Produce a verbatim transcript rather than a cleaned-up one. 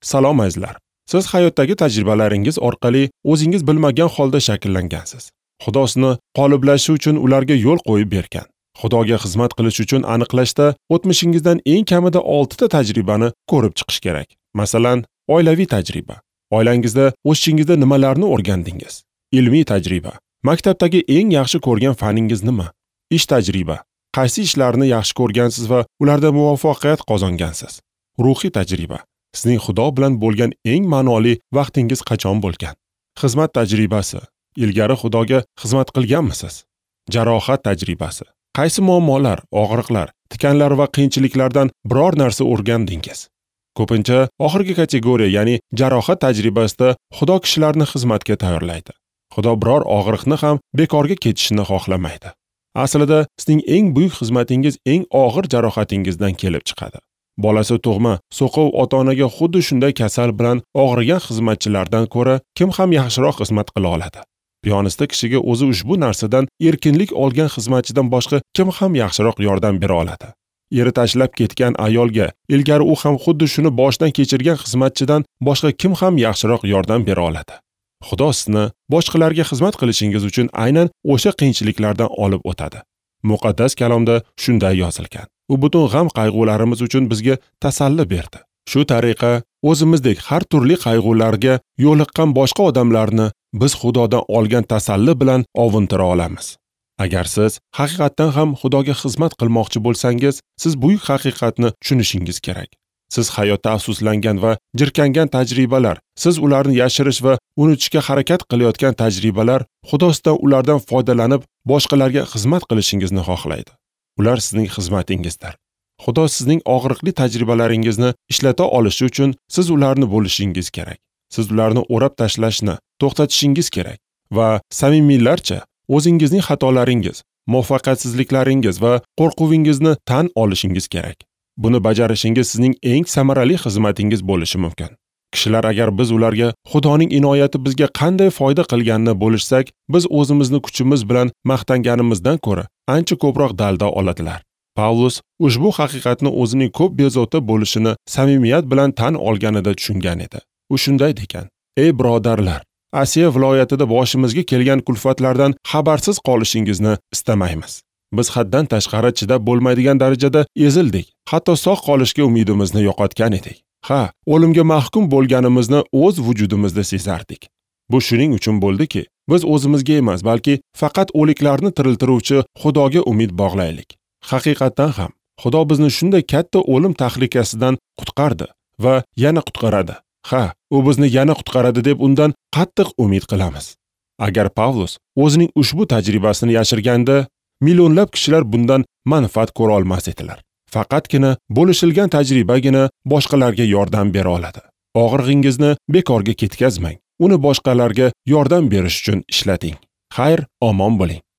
Salom azizlar. Siz hayotdagi tajribalaringiz orqali o'zingiz bilmagan holda shakllangansiz. Xudo sizni qoliblashishi uchun ularga yo'l qo'yib bergan. Xudoga xizmat qilish uchun aniqlashda o'tmishingizdan eng kamida olti ta tajribani ko'rib chiqish kerak. Masalan, oilaviy tajriba. Oilangizda o'sishingizda nimalarni o'rgandingiz? Ilmiy tajriba. Maktabdagi eng yaxshi ko'rgan faningiz nima? Ish tajriba. Qaysi ishlarni yaxshi ko'rgansiz va ularda muvaffaqiyat qozongansiz? Ruhiy tajriba. Sizning Xudo bilan bo'lgan eng ma'noli vaqtingiz qachon bo'lgan? Xizmat tajribasi. Ilgari Xudoga xizmat qilganmisiz? Jarohat tajribasi. Qaysi muammolar, og'riqlar, tikanlar va qiyinchiliklardan biror narsa o'rgandingiz? Ko'pincha oxirgi kategoriya, ya'ni jarohat tajribasida Xudo kishilarni xizmatga tayyorlaydi. Xudo biror og'riqni ham bekorga ketishini xohlamaydi. Aslida sizning eng buyuk xizmatingiz eng og'ir jarohatingizdan kelib chiqadi. Bolasi tug'ma, so'qov ota-onaga xuddi shunday kasal bilan og'rigan xizmatchilardan ko'ra kim ham yaxshiroq xizmat qila oladi? Piyonista kishiga o'zi ushbu narsadan erkinlik olgan xizmatchidan boshqa kim ham yaxshiroq yordam bera oladi? Eri tashlab ketgan ayolga ilgari u ham xuddi shuni boshdan kechirgan xizmatchidan boshqa kim ham yaxshiroq yordam bera oladi? Xudo sizni boshqalarga xizmat qilishingiz uchun aynan o'sha qiyinchiliklardan olib o'tadi. Muqaddas kalomda shunday yozilgan. U butun g'am qayg'ularimiz uchun bizga tasalli berdi. Shu tariqa o'zimizdek har turli qayg'ularga yo'liqqan boshqa odamlarni biz Xudodan olgan tasalli bilan ovuntira olamiz. Agar siz haqiqatdan ham Xudoga xizmat qilmoqchi bo'lsangiz, siz buyuk haqiqatni tushunishingiz kerak. Siz hayotda afsuslangan va jirkangan tajribalar, siz ularni yashirish va unutishga harakat qilayotgan tajribalar Xudo sizdan ulardan foydalanib boshqalarga xizmat qilishingizni xohlaydi. Ular sizning xizmatingizdir. Xudo sizning og'riqli tajribalaringizni ishlata olishi uchun siz ularni bo'lishingiz kerak. Siz ularni o'rab tashlashni to'xtatishingiz kerak va samimiylarcha o'zingizning xatolaringiz, muvaffaqiyatsizliklaringiz va qo'rquvingizni tan olishingiz kerak. Buni bajarishingiz sizning eng samarali xizmatingiz bo'lishi mumkin. Kishilar agar biz ularga Xudoning inoyati bizga qanday foyda qilganini bo'lishsak, biz o'zimizni kuchimiz bilan maqtanganimizdan ko'ra ancha ko'proq dalda oladilar. Pavlus ushbu haqiqatni o'zining ko'p bezovta bo'lishini samimiyat bilan tan olganida tushungan edi. U shunday degan: "Ey birodarlar, Asiya viloyatida boshimizga kelgan kulfatlardan xabarsiz qolishingizni istamaymiz. Biz haddan tashqari chidab bo'lmaydigan darajada ezildik, hatto sog' qolishga umidimizni yo'qotgan edik. Ha, o'limga mahkum bo'lganimizni o'z vujudimizda sezardik. Bu shuning uchun bo'ldiki, biz o'zimizga emas, balki faqat o'liklarni tiriltiruvchi Xudoga umid bog'laylik. Haqiqatdan ham Xudo bizni shunday katta o'lim tahlikasidan qutqardi va yana qutqaradi. Ha, u bizni yana qutqaradi deb undan qattiq umid qilamiz." Agar Pavlus o'zining ushbu tajribasini yashirganda, millionlab kishilar bundan manfaat ko'ra olmas edilar. Faqatgina bo'lishilgan tajribagina boshqalarga yordam bera oladi. Og'rig'ingizni bekorga ketkazmang. Uni boshqalarga yordam berish uchun ishlating. Xayr, omon bo'ling.